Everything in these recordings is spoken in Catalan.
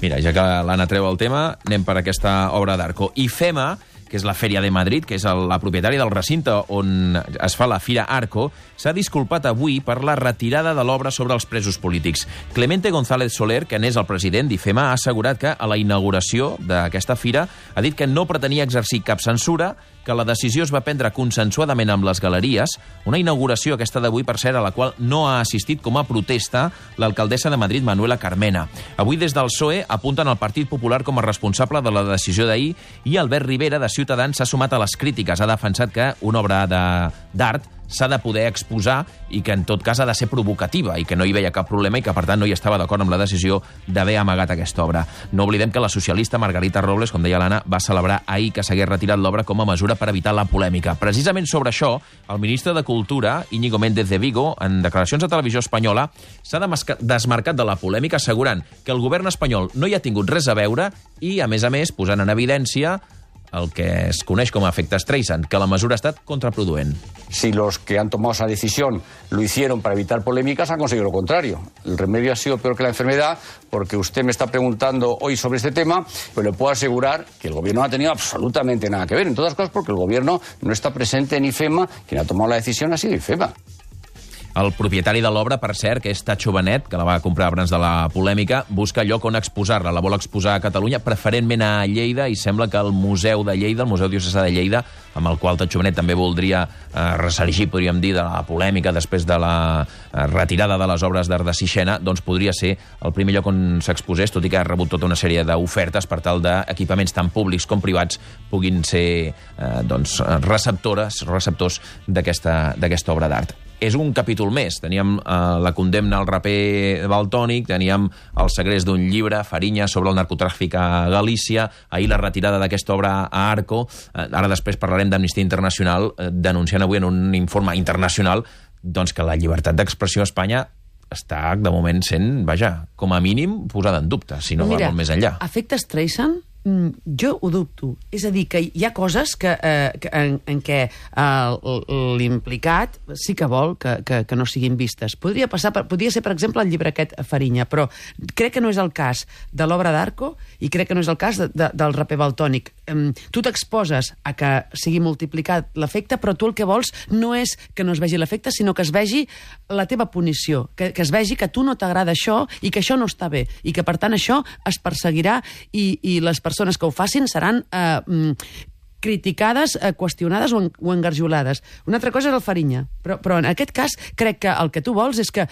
Mira, ja que l'Anna treu el tema, anem per aquesta obra d'Arco. IFEMA, que és la Fèria de Madrid, que és la propietària del recinte on es fa la Fira Arco, s'ha disculpat avui per la retirada de l'obra sobre els presos polítics. Clemente González Soler, que n'és el president d'IFEMA, ha assegurat que a la inauguració d'aquesta fira ha dit que no pretenia exercir cap censura, que la decisió es va prendre consensuadament amb les galeries, una inauguració aquesta d'avui, per cert, a la qual no ha assistit com a protesta l'alcaldessa de Madrid, Manuela Carmena. Avui, des del PSOE, apunten al Partit Popular com a responsable de la decisió d'ahir i Albert Rivera, de Ciutadans, s'ha sumat a les crítiques. Ha defensat que una obra d'art s'ha de poder exposar i que en tot cas ha de ser provocativa i que no hi veia cap problema i que per tant no hi estava d'acord amb la decisió d'haver amagat aquesta obra. No oblidem que la socialista Margarita Robles, com deia l'Anna, va celebrar ahir que s'hagués retirat l'obra com a mesura per evitar la polèmica. Precisament sobre això, el ministre de Cultura, Íñigo Méndez de Vigo, en declaracions a Televisió Espanyola, s'ha desmarcat de la polèmica assegurant que el govern espanyol no hi ha tingut res a veure i, a més, posant en evidència el que es coneix com a efecte Streisand, que la mesura ha estat contraproduent. Si los que han tomado esa decisión lo hicieron para evitar polémicas, han conseguido lo contrario. El remedio ha sido peor que la enfermedad, porque usted me está preguntando hoy sobre este tema, pero le puedo asegurar que el gobierno no ha tenido absolutamente nada que ver. En todas cosas porque el gobierno no está presente en IFEMA. Quien ha tomado la decisión ha sido IFEMA. El propietari de l'obra, per cert, que és Tacho Benet, que la va comprar abans de la polèmica, busca lloc on exposar-la. La vol exposar a Catalunya, preferentment a Lleida, i sembla que el Museu de Lleida, el Museu Diocesà de Lleida, amb el qual Tacho Benet també voldria ressargir, podríem dir, de la polèmica després de la retirada de les obres d'art de Sixena, doncs podria ser el primer lloc on s'exposés, tot i que ha rebut tota una sèrie d'ofertes per tal d'equipaments tant públics com privats puguin ser receptors d'aquesta obra d'art. És un capítol més. Teníem la condemna al raper Valtònyc, teníem el segrest d'un llibre, Fariña, sobre el narcotràfic a Galícia, ahir la retirada d'aquesta obra a Arco, ara després parlarem d'Amnistia Internacional, denunciant avui en un informe internacional doncs que la llibertat d'expressió a Espanya està, de moment, sent, com a mínim, posada en dubte, si no va molt més enllà. Efecte Streisand, jo ho dubto. És a dir, que hi ha coses en què l'implicat sí que vol que no siguin vistes. Podria ser, per exemple, el llibre aquest Fariña, però crec que no és el cas de l'obra d'Arco i crec que no és el cas del raper Valtònyc. Tu t'exposes a que sigui multiplicat l'efecte, però tu el que vols no és que no es vegi l'efecte, sinó que es vegi la teva punició, que es vegi que a tu no t'agrada això i que això no està bé, i que, per tant, això es perseguirà i les persones que ho facin seran criticades, qüestionades o engarjolades. Una altra cosa és el Fariña, però en aquest cas crec que el que tu vols és que...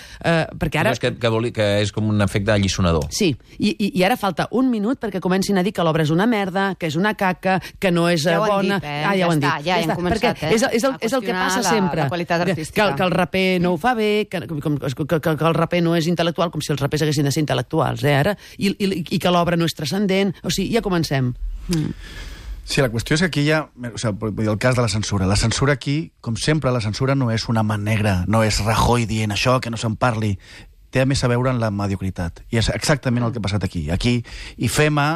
perquè ara... Que és com un efecte allisonador. Sí, i ara falta un minut perquè comencin a dir que l'obra és una merda, que és una caca, que no és bona... Ja ho han dit, ja hem començat, és el que passa sempre. La qualitat artística. Que el raper no ho fa bé, que el raper no és intel·lectual, com si els rapers haguessin de ser intel·lectuals, ara, i que l'obra no és transcendent. O sigui, ja comencem. Sí, la qüestió és que aquí hi ha... el cas de la censura. La censura aquí, com sempre, la censura no és una mà negra, no és Rajoy dient això, que no se'n parli. Té més a veure amb la mediocritat. I és exactament el que ha passat aquí. Aquí, IFEMA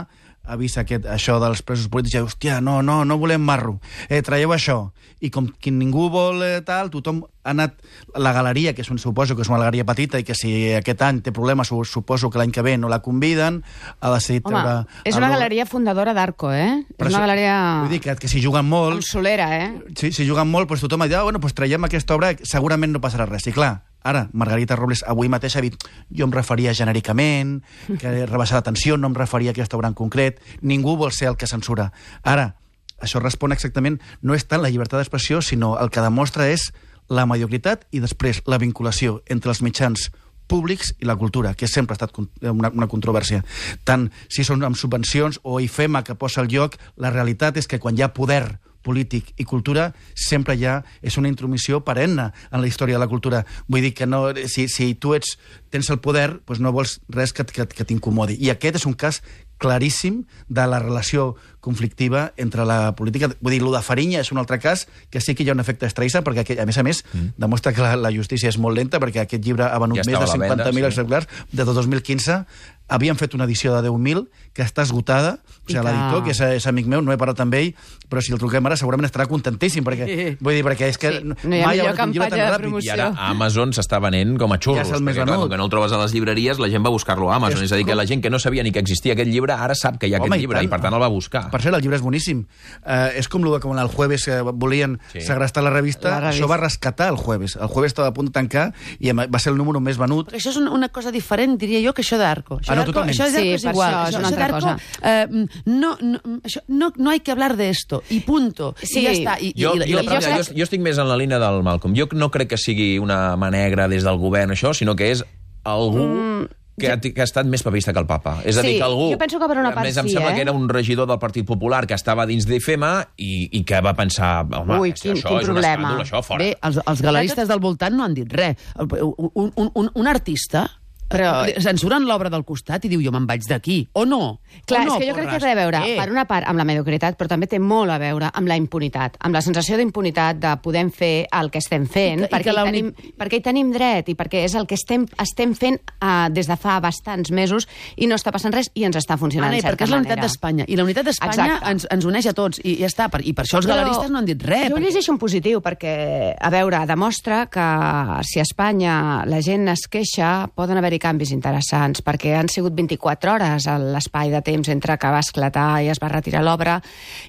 ha vist això dels presos polítics i diu, hòstia, no volem marro, traieu això. I com que ningú vol tal, tothom ha anat... La galeria, que suposo que és una galeria petita i que si aquest any té problemes, suposo que l'any que ve no la conviden, ha decidit treure... Home, és una galeria fundadora d'Arco, és una galeria... Vull dir que si juguen molt... Amb solera, Sí, si juguen molt, doncs tothom ha dit, bueno, traiem aquesta obra, segurament no passarà res. I clar, ara, Margarita Robles avui mateix ha dit, jo em referia genèricament, que rebaixar l'atenció, no em referia a aquesta obra en concret, ningú vol ser el que censura. Ara, això respon exactament, no és tant la llibertat d'expressió, sinó el que demostra és la mediocritat i després la vinculació entre els mitjans públics i la cultura, que sempre ha estat una controvèrsia. Tant si són amb subvencions o IFEMA que posa el lloc, la realitat és que quan hi ha poder polític i cultura, sempre és una intromissió perenne en la història de la cultura. Vull dir que no, si tu tens el poder, doncs no vols res que t'incomodi. I aquest és un cas claríssim de la relació conflictiva entre la política. Vull dir, el de Fariña és un altre cas que sí que hi ha un efecte Streisand, perquè, a més, demostra que la justícia és molt lenta, perquè aquest llibre ha venut més de 50.000 exemplars. Des de 2015 havien fet una edició de 10.000 que està esgotada. O sigui, l'editor, que és amic meu, no he parlat amb ell, però si el truquem ara segurament estarà contentíssim, perquè vull dir, perquè és que no hi ha millor campanya de promoció. I ara Amazon s'està venent com a xurros, ja perquè clar, com que no el trobes a les llibreries, la gent va buscar-lo a Amazon. És a dir, que la gent que no sabia ni que existia aquest llibre ara sap que hi ha aquest llibre i per tant el va buscar. Per cert, el llibre és boníssim. És com el que el Jueves volien segrestar la revista, això va rescatar el Jueves. El Jueves estava a punt de tancar i va ser el número més venut. Perquè això és una cosa diferent, diria jo, que això d'Arco. No, totalment. Això d'Arco és igual. Això és una altra cosa. No hay que hablar de esto, i punto. Sí. I ja està. Jo estic més en la línia del Malcolm. Jo no crec que sigui una mà negra des del govern, això, sinó que és algú que ha estat més papista que el papa. És a dir, que algú... Jo penso que per una part sí, em sembla que era un regidor del Partit Popular que estava dins d'IFEMA i que va pensar... Home, quin això és un escàndol, això, fora. Bé, els galeristes del voltant no han dit res. Un artista... Però censuren l'obra del costat i diu jo me'n vaig d'aquí, o no? Clar, és que jo crec que té a veure, per una part, amb la mediocritat, però també té molt a veure amb la impunitat, amb la sensació d'impunitat de poder fer el que estem fent, perquè hi tenim dret i perquè és el que estem fent des de fa bastants mesos i no està passant res i ens està funcionant de certa manera. Perquè és la unitat d'Espanya, i la unitat d'Espanya ens uneix a tots, i ja està, i per això els galeristes no han dit res. Jo ho llegeixo en positiu, perquè, a veure, demostra que si a Espanya la gent es queixa, poden haver-hi canvis interessants, perquè han sigut 24 hores a l'espai de temps entre que va esclatar i es va retirar l'obra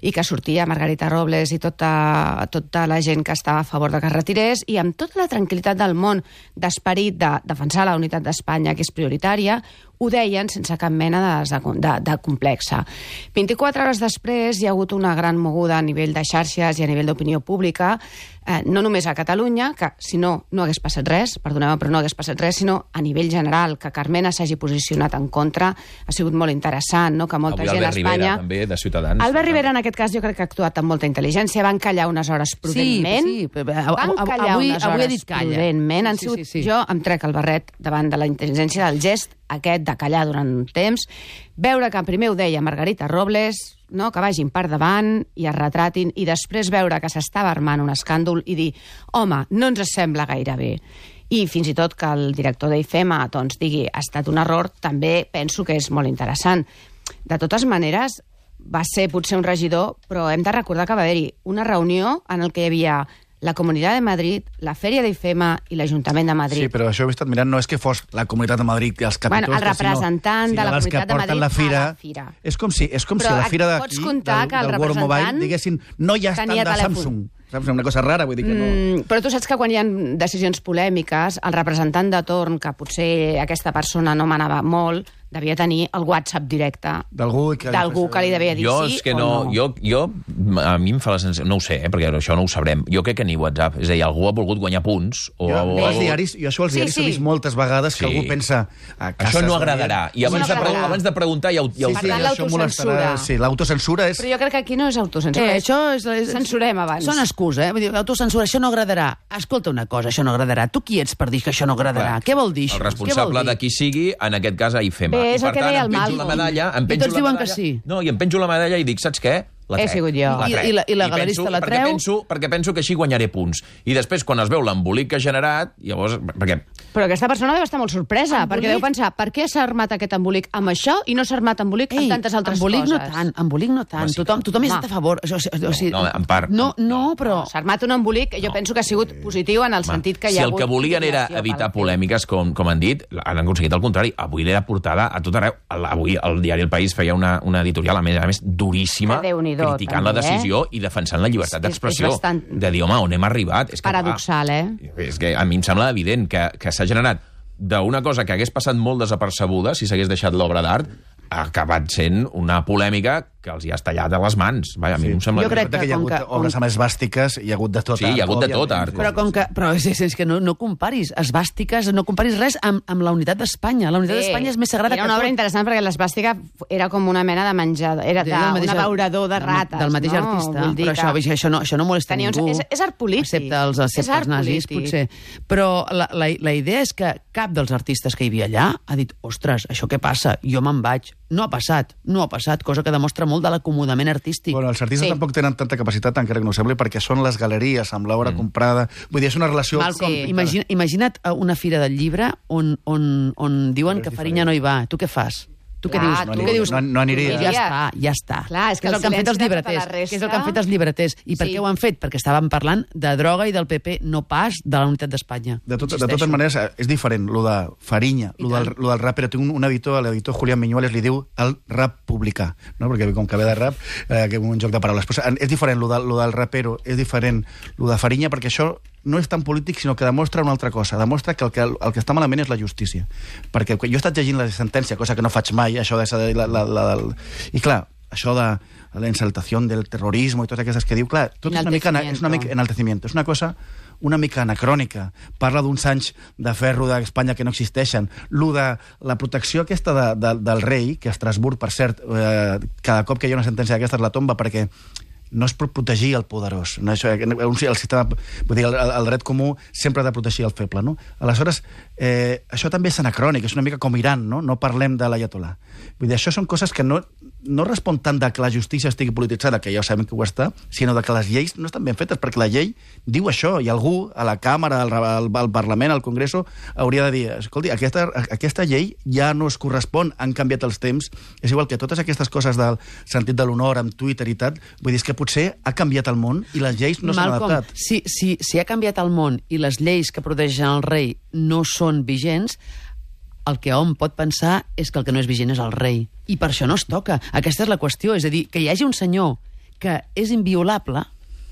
i que sortia Margarita Robles i tota la gent que estava a favor de que es retirés, i amb tota la tranquil·litat del món d'esperit de defensar la unitat d'Espanya, que és prioritària, ho deien sense cap mena de complexa. 24 hores després hi ha hagut una gran moguda a nivell de xarxes i a nivell d'opinió pública, no només a Catalunya, que si no hagués passat res, perdoneu, però no hagués passat res, sinó a nivell general, que Carmena s'hagi posicionat en contra, ha sigut molt interessant, no? Que molta gent a Espanya... Albert Rivera, també, de Ciutadans. Albert Rivera, en aquest cas, jo crec que ha actuat amb molta intel·ligència, van callar unes hores prudentment. Sí. Van callar unes hores prudentment. Jo em trec el barret davant de la intel·ligència del gest aquest de callar durant un temps, veure que primer ho deia Margarita Robles, no? Que vagin per davant i es retratin, i després veure que s'estava armant un escàndol i dir, home, no ens sembla gaire bé. I fins i tot que el director d'IFEMA doncs, digui ha estat un error, també penso que és molt interessant. De totes maneres, va ser potser un regidor, però hem de recordar que va haver-hi una reunió en el que hi havia la Comunitat de Madrid, la Fèria d'IFEMA i l'Ajuntament de Madrid. Sí, però això ho he estat mirant, no és que fos la Comunitat de Madrid i els capítols... Bueno, el representant de la Comunitat de Madrid la fira. a la fira. És com si la fira d'aquí, del World Mobile, diguessin, no hi ha estat de Samsung. Una cosa rara, vull dir que no... Però tu saps que quan hi ha decisions polèmiques, el representant de torn, que potser aquesta persona no manava molt, devia tenir el WhatsApp directe d'algú que li devia dir sí o no. A mi em fa la sensació... No ho sé, perquè això no ho sabrem. Jo crec que ni WhatsApp. És a dir, algú ha volgut guanyar punts. Jo als diaris he vist moltes vegades que algú pensa... Això no agradarà. I abans de preguntar ja ho... Per tant, l'autocensura. Sí, l'autocensura és... Però jo crec que aquí no és autocensura. Això és... Censurem abans. Són excusa, Vull dir, autocensura, això no agradarà. Escolta una cosa, això no agradarà. Tu qui ets per dir que això no agradarà? Què vol dir això? El responsable de qui sigui, en aquest cas a IFEMA. És el que deia el Malcolm. I tots diuen que sí. No, i em penjo la medalla i dic, saps què? He sigut jo. I la galerista la treu? Perquè penso que així guanyaré punts. I després, quan es veu l'embolic que ha generat, llavors... Però aquesta persona deu estar molt sorpresa, perquè deu pensar, per què s'ha armat aquest embolic amb això i no s'ha armat embolic amb tantes altres coses? Embolic no tant. Tothom hi està a favor. No, en part. No, però... S'ha armat un embolic, jo penso que ha sigut positiu en el sentit que hi ha hagut... Si el que volien era evitar polèmiques, com han dit, han aconseguit el contrari. Avui l'era portada a tot arreu. Avui el diari El País feia una editorial, a més duríssima, criticant la decisió i defensant la llibertat d'expressió. De dir, home, on hem arribat? És paradoxal, És que a mi em sembla evident que s'ha generat d'una cosa que hagués passat molt desapercebuda si s'hagués deixat l'obra d'art, ha acabat sent una polèmica que els hi has tallat a les mans. Vaja, a mi em sembla... Jo crec que hi ha com hagut que- obres amb esbàstiques, hi ha hagut de tot. Sí, hi ha hagut de tot, òbviament. Arco. Però és que no comparis esbàstiques, no comparis res amb la unitat d'Espanya. La unitat d'Espanya és més sagrada era que una obra tot. interessant perquè l'esbàstica era com una mena de menjador, era un abeurador de rates. Del mateix no? artista. Vull dir Però que això no molesta tenia ningú. És art polític. Excepte els És art nazis, polític. potser. Però la idea és que cap dels artistes que hi havia allà ha dit, ostres, això què passa? Jo me'n vaig. No ha passat, cosa que demostra molt de l'acomodament artístic. Bueno, els artistes tampoc tenen tanta capacitat, encara que no ho sembli, perquè són les galeries amb l'obra comprada. Vull dir, és una relació... Malcolm, Sí. imagina't una fira del llibre on diuen que Fariña no hi va. Tu què fas? Tu què Clar, dius? tu Què dius? no aniria. Ja està. Clar, és que és el el que han fet els silenci de tota llibreters. la resta- Què és el que han fet els llibreters? I per Sí. què ho han fet? Perquè estaven parlant de droga i del PP, no pas de la unitat d'Espanya. De totes maneres, és diferent, lo de Fariña, lo del rap, però té un editor, l'editor Julián Miñueles, li diu el rap publicà, no? Perquè com que ve de rap, que és un joc de paraules. Però és diferent, lo del rapero, és diferent lo de Fariña, perquè això no és tan polític, sinó que demostra una altra cosa. Demostra que el que està malament és la justícia. Perquè jo he estat llegint la sentència, cosa que no faig mai, això de... I clar, això de la exaltació del terrorisme i totes aquestes que diu, clar, tot és una mica enaltecimiento. És una cosa una mica anacrònica. Parla d'uns anys de ferro d'Espanya que no existeixen. Lo de la protecció aquesta del rei, que a Estrasburg, per cert, cada cop que hi ha una sentència d'aquestes la tomba perquè no es pot protegir el poderós. No, això, el sistema, vull dir, el dret comú sempre ha de protegir el feble. No? Aleshores, això també és anacrònic, és una mica com Iran, no parlem de l'ayatolà. Vull dir, això són coses que no respon tant de que la justícia estigui polititzada, que ja sabem que ho està, sinó de que les lleis no estan ben fetes, perquè la llei diu això, i algú a la Càmera, al Parlament, al Congreso, hauria de dir, escolti, aquesta llei ja no es correspon, han canviat els temps, és igual que totes aquestes coses del sentit de l'honor amb Twitter i tal, vull dir, és que potser ha canviat el món i les lleis no s'han adaptat. Si ha canviat el món i les lleis que protegeixen el rei no són vigents, el que hom pot pensar és que el que no és vigent és el rei. I per això no es toca. Aquesta és la qüestió. És a dir, que hi hagi un senyor que és inviolable,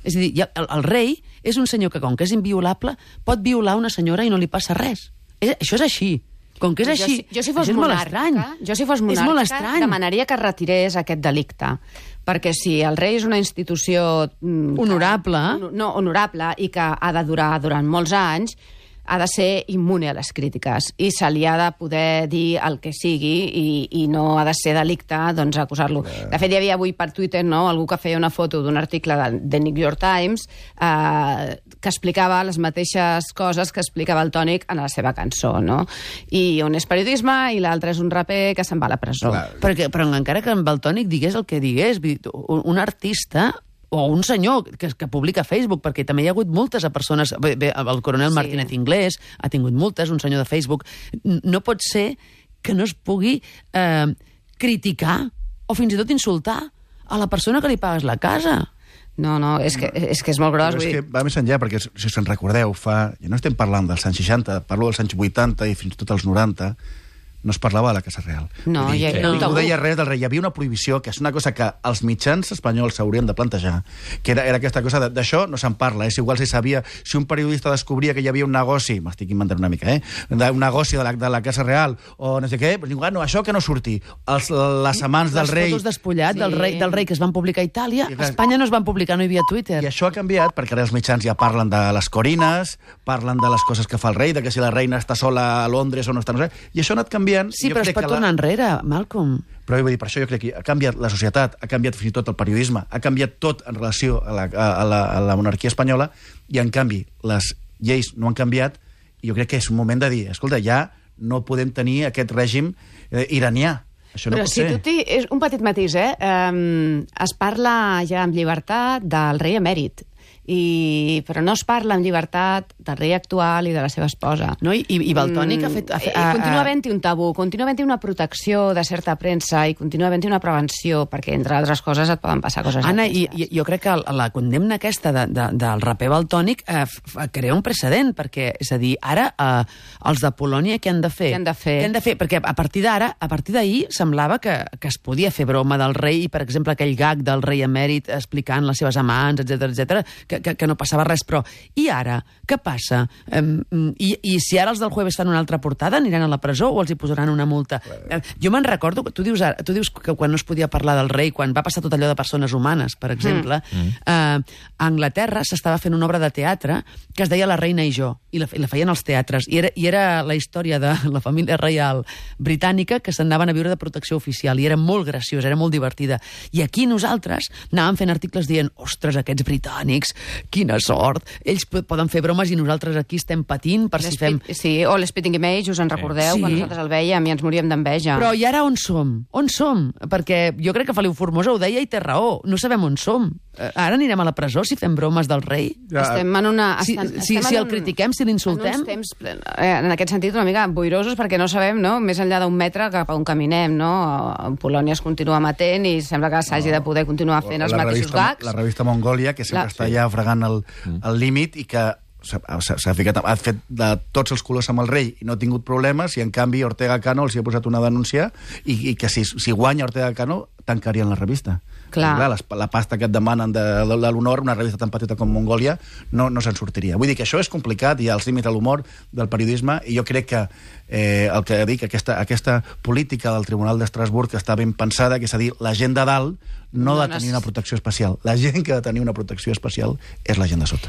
és a dir, el rei és un senyor que, com que és inviolable, pot violar una senyora i no li passa res. Això és així. Com que és així, jo si fos monàrquica, demanaria que retirés aquest delicte. Perquè si el rei és una institució... honorable. Honorable i que ha de durar durant molts anys, ha de ser immune a les crítiques i se li ha de poder dir el que sigui i no ha de ser delicte doncs, acusar-lo. De fet, hi havia avui per Twitter algú que feia una foto d'un article de New York Times que explicava les mateixes coses que explicava el Tònic en la seva cançó, no? I un és periodisme i l'altre és un raper que se'n va a la presó. Però encara que amb el Tònic digués el que digués, un artista o un senyor que publica a Facebook, perquè també hi ha hagut multes a persones... Bé, el coronel Martínez Inglés ha tingut multes, un senyor de Facebook. No pot ser que no es pugui criticar o fins i tot insultar a la persona que li pagues la casa. No, és que és molt gros. Però és que va més enllà, perquè si us en recordeu, ja no estem parlant dels anys 60, parlo dels anys 80 i fins i tot els 90, no es parlava de la Casa Real. No, ningú deia res del rei. Hi havia una prohibició, que és una cosa que els mitjans espanyols s'haurien de plantejar, que era aquesta cosa d'això no se'n parla. És igual si sabia, si un periodista descobria que hi havia un negoci, m'estic inventant una mica, un negoci de la Casa Real, o no sé què, doncs diu, no, això que no surti. Les amants del rei... Les fotos despullat del rei que es van publicar a Itàlia, a Espanya no es van publicar, no hi havia Twitter. I això ha canviat, perquè ara els mitjans ja parlen de les corines, parlen de les coses que fa el rei, de que si la reina està sola a Londres o no està... No sé, i això ha anat canviant. Sí, però es pot tornar enrere, Malcolm. Però vull dir, per això jo crec que ha canviat la societat, ha canviat fins i tot el periodisme, ha canviat tot en relació a la monarquia espanyola, i en canvi les lleis no han canviat, i jo crec que és un moment de dir, escolta, ja no podem tenir aquest règim iranià. Això no pot ser. És un petit matís, es parla ja amb llibertat del rei emèrit, però no es parla amb llibertat del rei actual i de la seva esposa. No? I Valtònic ha fet... Continua havent-hi un tabú, continua havent-hi una protecció de certa premsa i continua havent-hi una prevenció, perquè, entre altres coses, et poden passar coses Anna, jo crec que la condemna aquesta del raper Valtònic crea un precedent, perquè, és a dir, ara els de Polònia què han de fer? Què han de fer? Què han de fer? Perquè a partir d'ahir semblava que es podia fer broma del rei, i, per exemple, aquell gag del rei emèrit explicant les seves amants, etc que no passava res, però i ara? Què passa? passa? I si ara els del Jueves estan en una altra portada, aniran a la presó o els hi posaran una multa? Jo me'n recordo, tu dius que quan no es podia parlar del rei, quan va passar tot allò de persones humanes, per exemple, a Anglaterra s'estava fent una obra de teatre que es deia La reina i jo, i la feien als teatres, i era la història de la família reial britànica que s'anaven a viure de protecció oficial, i era molt graciós, era molt divertida. I aquí nosaltres anàvem fent articles dient, ostres, aquests britànics, quina sort, ells poden fer bromes i nosaltres aquí estem patint per si fem... Sí, o l'Spitting Image, us en recordeu, quan nosaltres el veiem i ens moríem d'enveja. Però i ara on som? On som? Perquè jo crec que Feliu Formosa ho deia i té raó, no sabem on som. Ara anirem a la presó si fem bromes del rei? Estem en una... Si el critiquem, si l'insultem? En uns temps, en aquest sentit, una mica boirosos, perquè no sabem, no?, més enllà d'un metre cap a on caminem, no? Polònia es continua matent i sembla que s'hagi de poder continuar fent els mateixos gags. La revista Mongòlia, que sempre està allà fregant el límit i que ha fet de tots els colors amb el rei i no ha tingut problemes, i en canvi Ortega Cano els hi ha posat una denúncia i que si guanya Ortega Cano tancarien la revista. Clar, la pasta que et demanen de l'honor, una revista tan petita com Mongòlia, no se'n sortiria. Vull dir que això és complicat, hi ha els límits a l'humor del periodisme, i jo crec que el que dic, aquesta política del Tribunal d'Estrasburg està ben pensada, que és a dir, la gent de dalt no ha de tenir una protecció especial. La gent que ha de tenir una protecció especial és la gent de sota.